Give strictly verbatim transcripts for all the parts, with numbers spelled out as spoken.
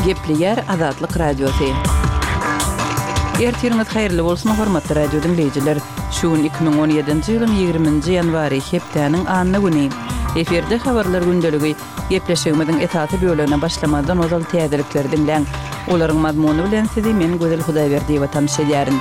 Gepleýär Azatlyk Radiosy. Ertiriňiz haýyrly bolsun, hormatly radio diňleýjiler! Şu gün iki müň on ýedinji ýylyň ýigriminji ýanwary, hepdäniň anna güni. Efirde Habarlar gündeligi. Gepleşigimiziň esasy bölegine başlamazdan ozal täzelikleri diňläň. Olaryň mazmuny bilen sizi men Gözel Hudaýberdiýewa tanyş edýärin.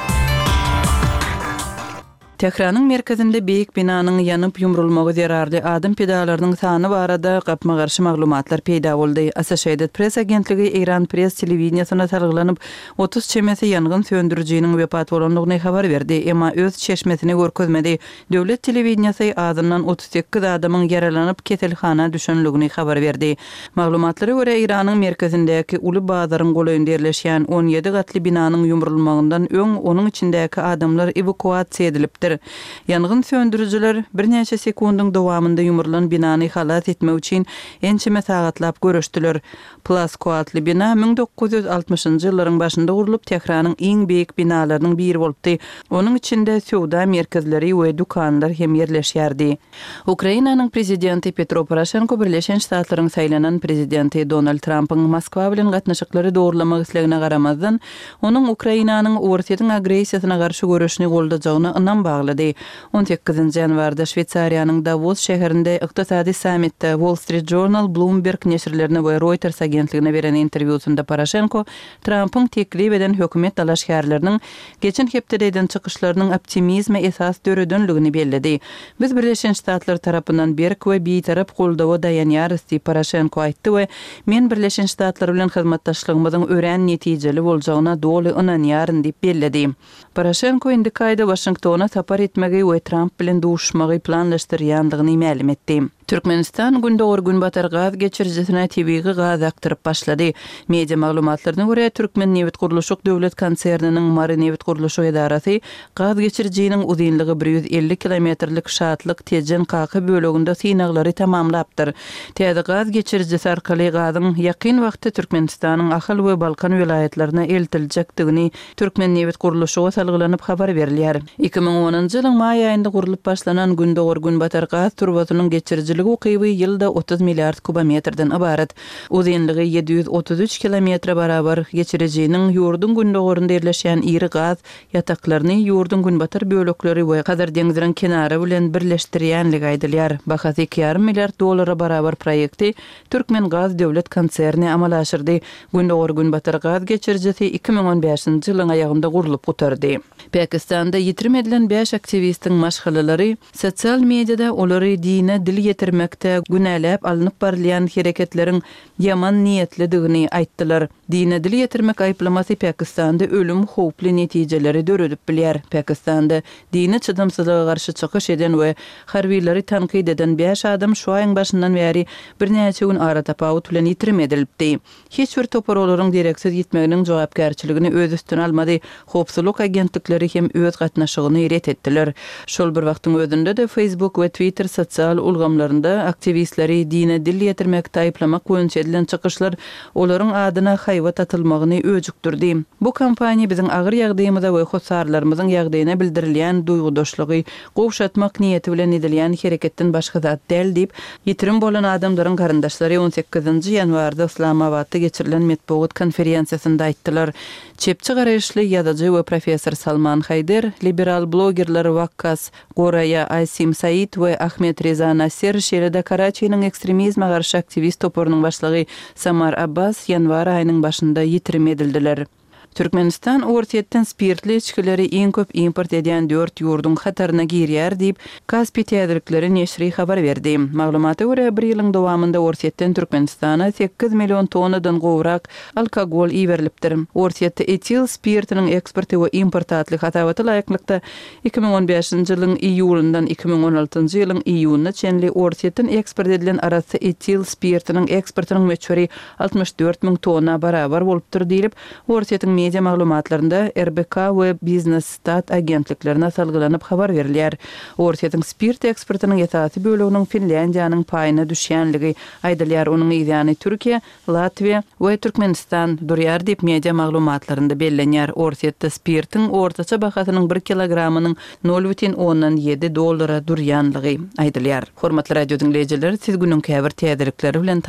Tähranyň merkezinde beýik binanyň ýanyp ýumrulmagy zerarly adam pidalarynyň sany barada gapma-garşy maglumatlar peýda boldy. Associated Press agentligi Eýran Press telewideniýesine salgylanyp, otuz çemesi ýangyn söndürijiniň wepat bolandygyny habar berdi, emma öz çeşmesini görkezmedi. Döwlet telewideniýesi azyndan otuz sekiz adamyň ýaralanyp, keselhana düşenligini habar berdi. Maglumatlara görä, Eýranyň merkezindäki uly bazaryň golaýynda ýerleşýän on ýedi gatly binanyň ýumrulmagyndan öň onuň içindäki adamlar ewakuasiýa edilipdir. Ýangyn söndürijiler birnäçe sekundyň dowamynda ýumrulan binany halas etmek üçin ençeme sagatlap göreşdiler. Plasko atly bina müň dokuz ýüz altmyşynjy ýyllaryň başynda gurlup, Tähranyň iň beýik binalarynyň biri bolupdy. Onuň içinde söwda merkezleri we dükanlar hem ýerleşýärdi. Ukrainanyň prezidenti Petro Poroşenko Birleşen Ştatlaryň saýlanan prezidenti Donald Trampyň Moskwa bilen gatnaşyklary dogurlamak islegine garamazdan, onuň Ukrainanyň Orsýetiň agressiýasyna garşy göreşini goldajagyna ynam baglady. On sekizinji ýanwarda Şweýsariýanyň Dawos şäherinde ykdysady sammitde Wall Street Journal, Bloomberg neşirlerine we Reuters agentligine beren interwýusynda Poroşenko Trampyň teklip eden hökümet dalaşgärleriniň geçen hepdede eden çykyşlarynyň optimizme esas döredenligini belledi. Biz Birleşen Ştatlar tarapyndan berk we bitarap goldawa daýanýarys diýip Poroşenko aýtdy we Men Birleşen Ştatlar bilen hyzmatdaşlygymyzyň örän netijeli boljagyna doly ynanýaryn diýip belledi. Poroşenko indiki aýda Waşingtona sapar etmegi we Tramp bilen duşuşmagy planlaşdyrýandygyny mälim etdi. Türkmenistan Gündogar-Günbatar gaz geçirijisine tebigy gaz akdyryp başlady. Media maglumatlaryna görä, Türkmennebitgurluşyk döwlet konserniniň Marynebitgurluşyk edarasy gaz geçirijiniň uzynlygy bir ýüz elli kilometrlik Şatlyk, Tejen, Kaka böleginde synaglary tamamlapdyr. Täze gaz geçirijisi arkaly gazyň ýakyn wagtda Türkmenistanyň Ahal we Balkan welaýatlaryna eltiljekdigini Türkmennebitgurluşyga salgylanyp habar berilýär. Iki müň onunjy ýylyň maý aýynda gurlup başlanan Gündogar-Günbatar gaz turbasynyň geçirijilik ukyby ýylda otuz milliard kubometrden ybarat. Uzynlygy ýedi ýüz otuz üç kilometre barabar geçirijiniň ýurduň gündogarynda ýerleşýän iri gaz ýataklaryny ýurduň günbatar bölekleri we Hazar deňziniň kenary bilen birleşdirýänligi aýdylýar. Bahasy iki ýarym milliard dollara barabar proýekti Türkmengaz döwlet konserni amala aşyrdy. Gündogar-Günbatar gaz geçirijisi iki müň on bäşinji ýylyň aýagynda gurlup gutardy. Pakistanda ýitirim edilen bäş aktiwistiň maşgalalary sosial mediada olary dine dil ýetirmekde günäläp alnyp barylýan hereketleriň ýaman niýetlidigini aýtdylar. Dine dil ýetirmek aýyplamasy Pakistanda ölüm howply netijeleri döredip bilýär. Pakistanda dini çydamsyzlyga garşy çykyş eden we harbylary tankyt eden bäş adam şu aýyň başyndan bäri birnäçe gün aratapawut bilen ýitirim edilipdi. Hiç bir topar olaryň dereksiz ýitmeginiň jogapkärçiligini öz üstüne almady, howpsuzlyk agentlikleri hem öz gatnaşygyny ret etdiler. Şol bir wagtyň özünde-de Facebook we Twitter sosial ulgamlarynda aktiwistleri dine dil ýetirmekde aýyplamak boýunça edilen çykyşlar olaryň adyna haýbat atylmagyny öjükdirdi. Bu kampaniýa biziň agyr ýagdaýymyza we hossarlarymyzyň ýagdaýyna bildirilýän duýgudaşlygy gowşatmak niýeti bilen edilýän hereketden başga zat däl diýip, ýitirim bolan adamlaryň garyndaşlary on sekizinji ýanwarda Yslamabatda geçirilen metbugat konferensiýasynda aýtdylar. Çepçi garaýyşly ýazyjy we professor Salman Haýder, liberal blogerler Wakkas Goraýa, Asim Said we Ahmed Reza Nasser, şeýle-de Karaçiniň ekstremizme garşy aktiwist toparynyň başlygy Samar Abbas ýanwar aýynyň başynda ýitirim edildiler. Türkmenistan Orsýetden spirtli içgileri iň köp import edýän dört ýurduň hataryna girýär diýip, Kaspi täzelikleri neşri habar berdi. Maglumata görä, bir ýylyň dowamynda Orsýetden Türkmenistana sekiz million tonnadan gowrak alkogol iberilipdir. Orsýetde etil spirtiniň eksporty we importy atly hasabata laýyklykda, iki müň on bäşinji ýylyň iýulyndan iki müň on altynjy ýylyň iýunyna çenli Orsýetden eksport edilen arassa etil spirtiniň eksportynyň möçberi altmyş dört müň tonna barabar bolupdyr diýlip, Orsýetiň media maglumatlarynda R B K we Biznes-Stat agentliklerine salgylanyp habar berilýär. Orsýetiň spirt eksportynyň esasy böleginiň Finlýandiýanyň paýyna düşýänligi aýdylýar, onuň yzýany Türkiýe, Latwiýa we Türkmenistan durýar diýip, media maglumatlarynda bellenýär. Orsýetde spirtiň ortaça bahasynyň bir kilogramynyň nol bütin ondan ýedi dollara durýanlygy aýdylýar. Hormatly radio diňleýjiler, siz günüň käbir täzelikleri bilen